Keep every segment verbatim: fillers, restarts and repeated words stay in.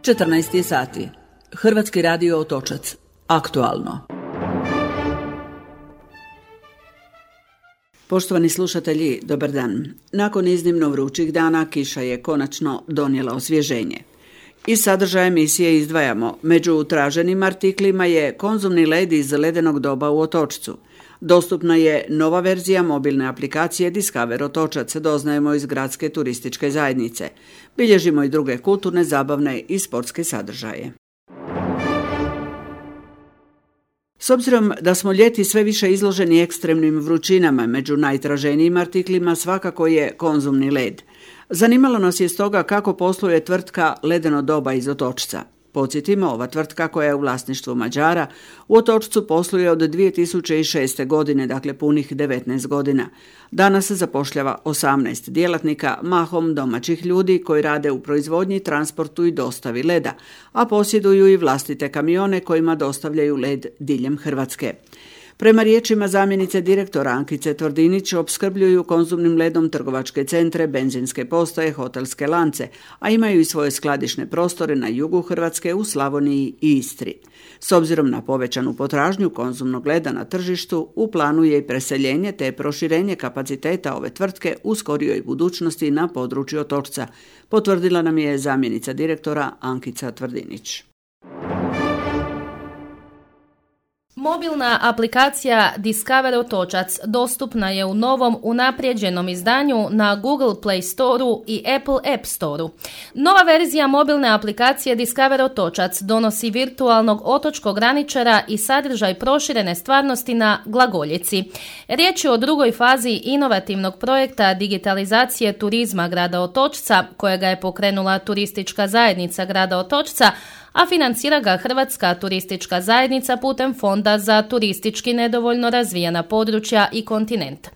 četrnaest je sati. Hrvatski radio Otočac. Aktualno. Poštovani slušatelji, dobar dan. Nakon iznimno vrućih dana kiša je konačno donijela osvježenje. Iz sadržaja emisije izdvajamo, među traženim artiklima je konzumni led iz ledenog doba u Otočcu. Dostupna je nova verzija mobilne aplikacije Discover Otočac, doznajemo iz gradske turističke zajednice. Bilježimo i druge kulturne, zabavne i sportske sadržaje. S obzirom da smo ljeti sve više izloženi ekstremnim vrućinama, među najtraženijim artiklima svakako je konzumni led. Zanimalo nas je stoga kako posluje tvrtka Ledeno doba iz Otočca. Podsjetimo, ova tvrtka koja je u vlasništvu Mađara u Otočcu posluje od dvije tisuće šeste. godine, dakle punih devetnaest godina. Danas se zapošljava osamnaest djelatnika, mahom domaćih ljudi koji rade u proizvodnji, transportu i dostavi leda, a posjeduju i vlastite kamione kojima dostavljaju led diljem Hrvatske. Prema riječima zamjenice direktora Ankice Tvrdinić, opskrbljuju konzumnim ledom trgovačke centre, benzinske postaje, hotelske lance, a imaju i svoje skladišne prostore na jugu Hrvatske, u Slavoniji i Istri. S obzirom na povećanu potražnju konzumnog leda na tržištu, u planu je i preseljenje te proširenje kapaciteta ove tvrtke u skorijoj budućnosti na području Otočca, potvrdila nam je zamjenica direktora Ankica Tvrdinić. Mobilna aplikacija Discover Otočac dostupna je u novom unaprijeđenom izdanju na Google Play Storeu i Apple App Storeu. Nova verzija mobilne aplikacije Discover Otočac donosi virtualnog otočkog graničara i sadržaj proširene stvarnosti na glagoljici. Riječ je o drugoj fazi inovativnog projekta digitalizacije turizma grada Otočca, kojega je pokrenula turistička zajednica grada Otočca, a financira ga Hrvatska turistička zajednica putem Fonda za turistički nedovoljno razvijena područja i kontinent.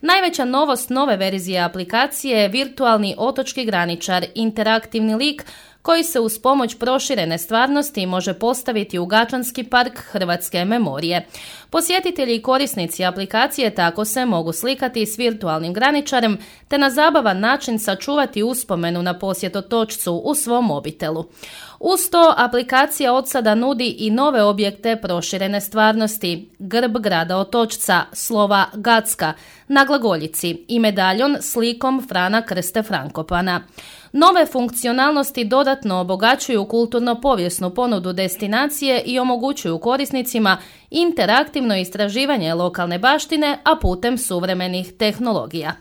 Najveća novost nove verzije aplikacije je virtualni otočki graničar, interaktivni lik koji se uz pomoć proširene stvarnosti može postaviti u Gačanski park Hrvatske memorije. Posjetitelji i korisnici aplikacije tako se mogu slikati s virtualnim graničarem te na zabavan način sačuvati uspomenu na posjet Otočcu u svom mobitelu. Uz to aplikacija od sada nudi i nove objekte proširene stvarnosti, grb grada Otočca, slova Gacka na glagoljici i medaljon s likom Frana Krste Frankopana. Nove funkcionalnosti dodatno obogaćuju kulturno-povijesnu ponudu destinacije i omogućuju korisnicima interaktivno istraživanje lokalne baštine, a putem suvremenih tehnologija.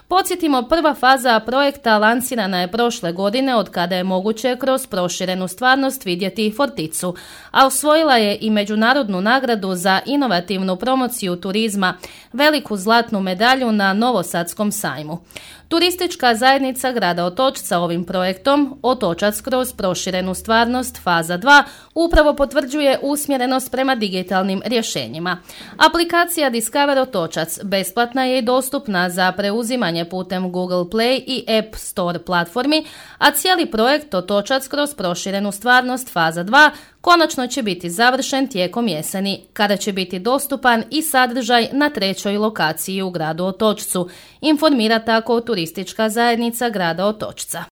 Podsjetimo, prva faza projekta lansirana je prošle godine, od kada je moguće kroz proširenu stvarnost vidjeti Forticu, a osvojila je i međunarodnu nagradu za inovativnu promociju turizma, veliku zlatnu medalju na Novosadskom sajmu. Turistička zajednica grada Otočca ovim projektom Otočac kroz proširenu stvarnost faza dva upravo potvrđuje usmjerenost prema digitalnim rješenjima. Aplikacija Discover Otočac besplatna je i dostupna za preuzimanje putem Google Play i App Store platformi, a cijeli projekt Otočac kroz proširenu stvarnost faza dva konačno će biti završen tijekom jeseni, kada će biti dostupan i sadržaj na trećoj lokaciji u gradu Otočcu, informira tako turistička zajednica grada Otočca.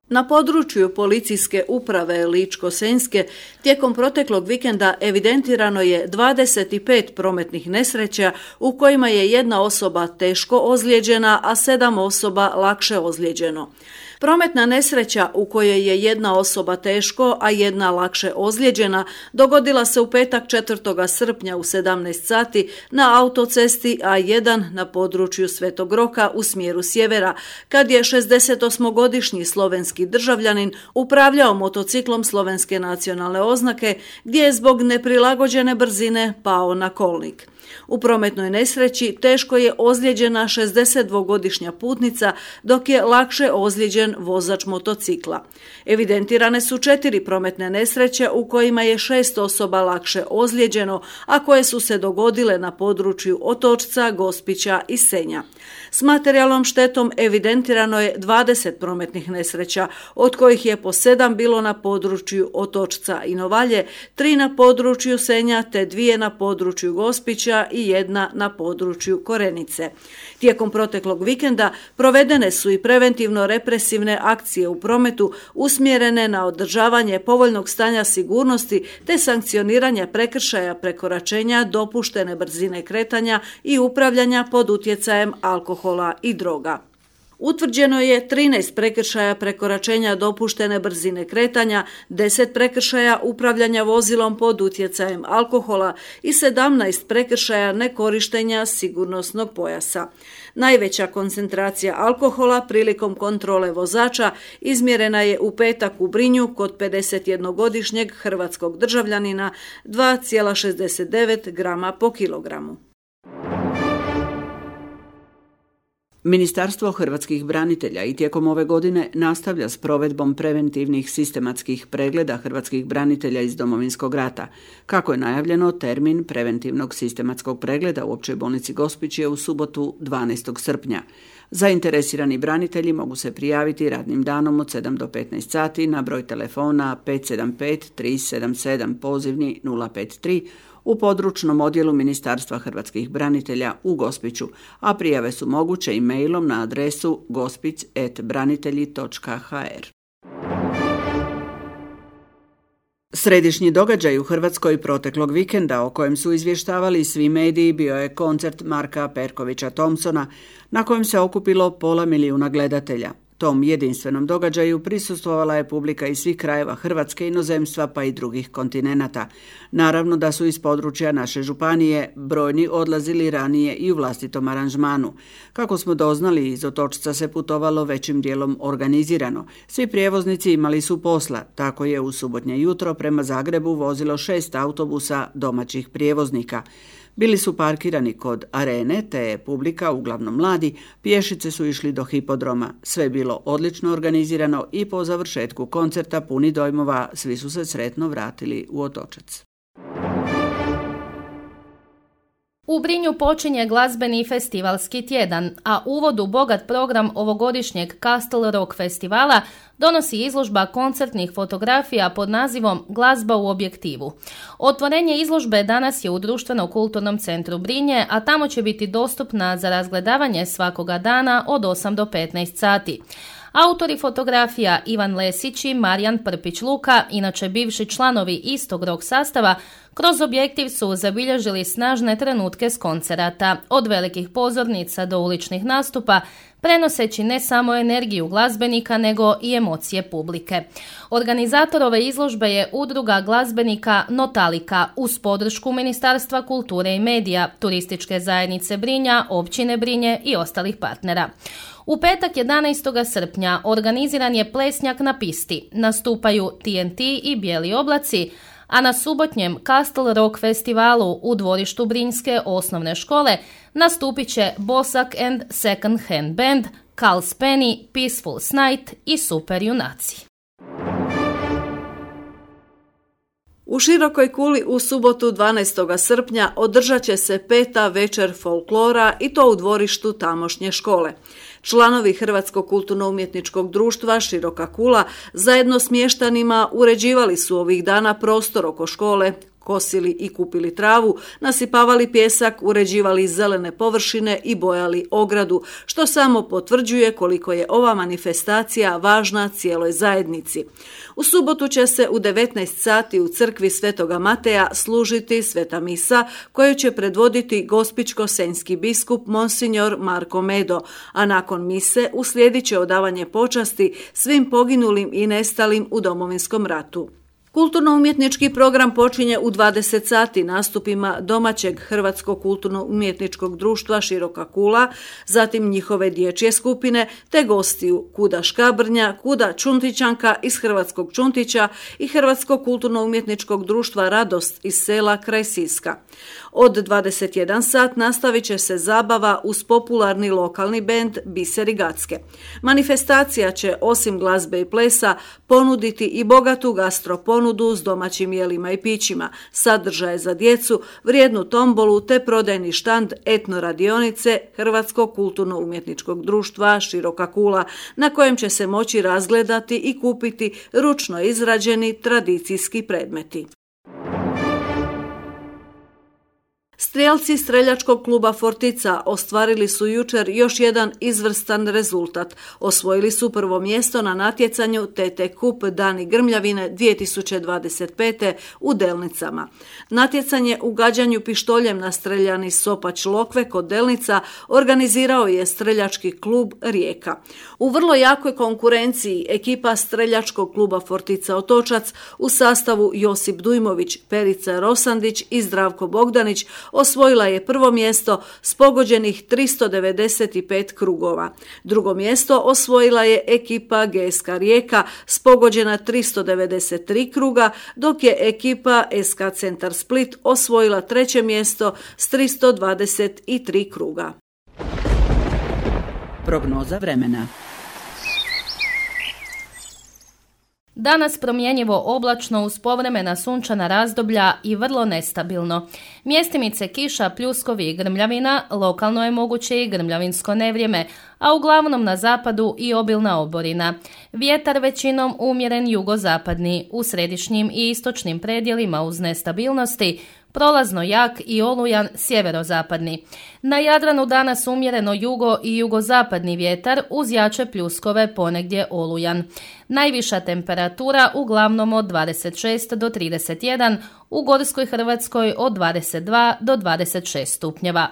Na području policijske uprave Ličko-senjske tijekom proteklog vikenda evidentirano je dvadeset pet prometnih nesreća u kojima je jedna osoba teško ozlijeđena, a sedam osoba lakše ozlijeđeno. Prometna nesreća u kojoj je jedna osoba teško, a jedna lakše ozlijeđena dogodila se u petak četvrtog srpnja u sedamnaest sati na autocesti A jedan na području Svetog Roka u smjeru sjevera, kad je šezdesetosmogodišnji slovenski državljanin upravljao motociklom slovenske nacionalne oznake, gdje je zbog neprilagođene brzine pao na kolnik. U prometnoj nesreći teško je ozlijeđena šezdesetdvogodišnja putnica, dok je lakše ozlijeđen vozač motocikla. Evidentirane su četiri prometne nesreće u kojima je šest osoba lakše ozlijeđeno, a koje su se dogodile na području Otočca, Gospića i Senja. S materijalnom štetom evidentirano je dvadeset prometnih nesreća, od kojih je po sedam bilo na području Otočca i Novalje, tri na području Senja te dvije na području Gospića Otočića i jedna na području Korenice. Tijekom proteklog vikenda provedene su i preventivno-represivne akcije u prometu usmjerene na održavanje povoljnog stanja sigurnosti te sankcioniranje prekršaja prekoračenja dopuštene brzine kretanja i upravljanja pod utjecajem alkohola i droga. Utvrđeno je trinaest prekršaja prekoračenja dopuštene brzine kretanja, deset prekršaja upravljanja vozilom pod utjecajem alkohola i sedamnaest prekršaja nekorištenja sigurnosnog pojasa. Najveća koncentracija alkohola prilikom kontrole vozača izmjerena je u petak u Brinju kod pedesetjednogodišnjeg hrvatskog državljanina dva zarez šezdeset devet grama po kilogramu. Ministarstvo hrvatskih branitelja i tijekom ove godine nastavlja s provedbom preventivnih sistematskih pregleda hrvatskih branitelja iz Domovinskog rata. Kako je najavljeno, termin preventivnog sistematskog pregleda u Općoj bolnici Gospić je u subotu dvanaestog srpnja. Zainteresirani branitelji mogu se prijaviti radnim danom od sedam do petnaest sati na broj telefona pet sedam pet tri sedam sedam pozivni nula pet tri u područnom odjelu Ministarstva hrvatskih branitelja u Gospiću, a prijave su moguće i mailom na adresu gospić at branitelji točka ha er. Središnji događaj u Hrvatskoj proteklog vikenda o kojem su izvještavali svi mediji bio je koncert Marka Perkovića Thompsona na kojem se okupilo pola milijuna gledatelja. Tom jedinstvenom događaju prisustvovala je publika iz svih krajeva Hrvatske, inozemstva pa i drugih kontinenata. Naravno da su iz područja naše županije brojni odlazili ranije i u vlastitom aranžmanu. Kako smo doznali, iz Otočca se putovalo većim dijelom organizirano. Svi prijevoznici imali su posla, tako je u subotnje jutro prema Zagrebu vozilo šest autobusa domaćih prijevoznika. Bili su parkirani kod arene, te je publika, uglavnom mladi, pješice su išli do hipodroma. Sve je bilo odlično organizirano i po završetku koncerta puni dojmova svi su se sretno vratili u Otočac. U Brinju počinje glazbeni festivalski tjedan, a uvod u bogat program ovogodišnjeg Castle Rock festivala donosi izložba koncertnih fotografija pod nazivom Glazba u objektivu. Otvorenje izložbe danas je u Društveno-kulturnom centru Brinje, a tamo će biti dostupna za razgledavanje svakoga dana od osam do petnaest sati. Autori fotografija Ivan Lesić i Marijan Prpić-Luka, inače bivši članovi istog rock sastava, kroz objektiv su zabilježili snažne trenutke s koncerata, od velikih pozornica do uličnih nastupa, prenoseći ne samo energiju glazbenika, nego i emocije publike. Organizator ove izložbe je udruga glazbenika Notalika uz podršku Ministarstva kulture i medija, Turističke zajednice Brinja, Općine Brinje i ostalih partnera. U petak jedanaestog srpnja organiziran je plesnjak na pisti, nastupaju T N T i Bijeli oblaci, a na subotnjem Castle Rock festivalu u dvorištu Brinjske osnovne škole nastupit će Bosak and Second Hand Band, Carl Penny, Peaceful Night i Super junaci. U Širokoj Kuli u subotu dvanaestog srpnja održat će se peta večer folklora i to u dvorištu tamošnje škole. Članovi Hrvatskog kulturno-umjetničkog društva Široka Kula zajedno s mještanima uređivali su ovih dana prostor oko škole, kosili i kupili travu, nasipavali pjesak, uređivali zelene površine i bojali ogradu, što samo potvrđuje koliko je ova manifestacija važna cijeloj zajednici. U subotu će se u devetnaest sati u crkvi Svetoga Mateja služiti sveta misa koju će predvoditi gospićko-senjski biskup Monsignor Marko Medo, a nakon mise uslijedit će odavanje počasti svim poginulim i nestalim u Domovinskom ratu. Kulturno-umjetnički program počinje u dvadeset sati nastupima domaćeg Hrvatskog kulturno-umjetničkog društva Široka Kula, zatim njihove dječje skupine, te gostiju Kuda Škabrnja, Kuda Čuntićanka iz Hrvatskog Čuntića i Hrvatskog kulturno-umjetničkog društva Radost iz sela kraj Siska. Od dvadeset jedan sat nastavit će se zabava uz popularni lokalni bend Biseri Gacke. Manifestacija će osim glazbe i plesa ponuditi i bogatu gastroponudu s domaćim jelima i pićima, sadržaje za djecu, vrijednu tombolu te prodajni štand etno radionice Hrvatskog kulturno-umjetničkog društva Široka Kula, na kojem će se moći razgledati i kupiti ručno izrađeni tradicijski predmeti. Strijelci streljačkog kluba Fortica ostvarili su jučer još jedan izvrstan rezultat. Osvojili su prvo mjesto na natjecanju T T Kup Dani Grmljavine dvije tisuće dvadeset pete u Delnicama. Natjecanje u gađanju pištoljem na streljani Sopač Lokve kod Delnica organizirao je streljački klub Rijeka. U vrlo jakoj konkurenciji ekipa streljačkog kluba Fortica Otočac u sastavu Josip Dujmović, Perica Rosandić i Zdravko Bogdanić osvojila je prvo mjesto s pogođenih tristo devedeset pet krugova. Drugo mjesto osvojila je ekipa G S K Rijeka s pogođena tristo devedeset tri kruga, dok je ekipa S K Centar Split osvojila treće mjesto s tristo dvadeset tri kruga. Prognoza vremena. Danas promjenjivo oblačno uz povremena sunčana razdoblja i vrlo nestabilno. Mjestimice kiša, pljuskovi i grmljavina, lokalno je moguće i grmljavinsko nevrijeme, a uglavnom na zapadu i obilna oborina. Vjetar većinom umjeren jugozapadni, u središnjim i istočnim predjelima uz nestabilnosti, prolazno jak i olujan sjeverozapadni. Na Jadranu danas umjereno jugo i jugozapadni vjetar uz jače pljuskove, ponegdje olujan. Najviša temperatura uglavnom od dvadeset šest do trideset jedan, u Gorskoj Hrvatskoj od dvadeset dva do dvadeset šest stupnjeva.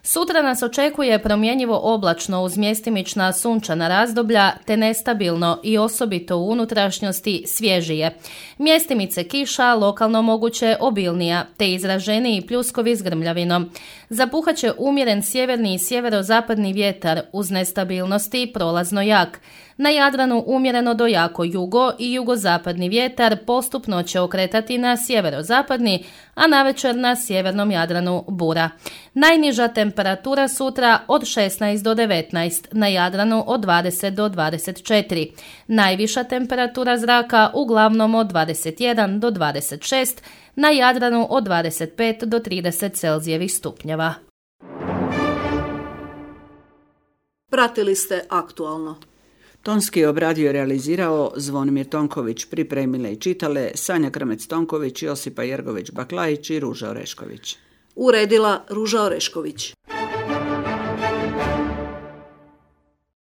Sutra nas očekuje promjenjivo oblačno uz mjestimična sunčana razdoblja te nestabilno i osobito u unutrašnjosti svježije. Mjestimice kiša, lokalno moguće obilnija te izraženiji pljuskovi s grmljavinom. Zapuhaće umjeren sjeverni i sjeverozapadni vjetar uz nestabilnosti prolazno jak. Na Jadranu umjereno do jako jugo i jugozapadni vjetar postupno će okretati na sjeverozapadni, a navečer na sjevernom Jadranu bura. Najniža temperatura sutra od šesnaest do devetnaest, na Jadranu od dvadeset do dvadeset četiri. Najviša temperatura zraka uglavnom od dvadeset jedan do dvadeset šest, na Jadranu od dvadeset pet do trideset Celzijevih stupnjeva. Pratili ste Aktualno. Tonski obradio i realizirao Zvonimir Tonković, pripremile i čitale Sanja Krmec-Tonković, Josipa Jergović-Baklajić i Ruža Orešković. Uredila Ruža Orešković.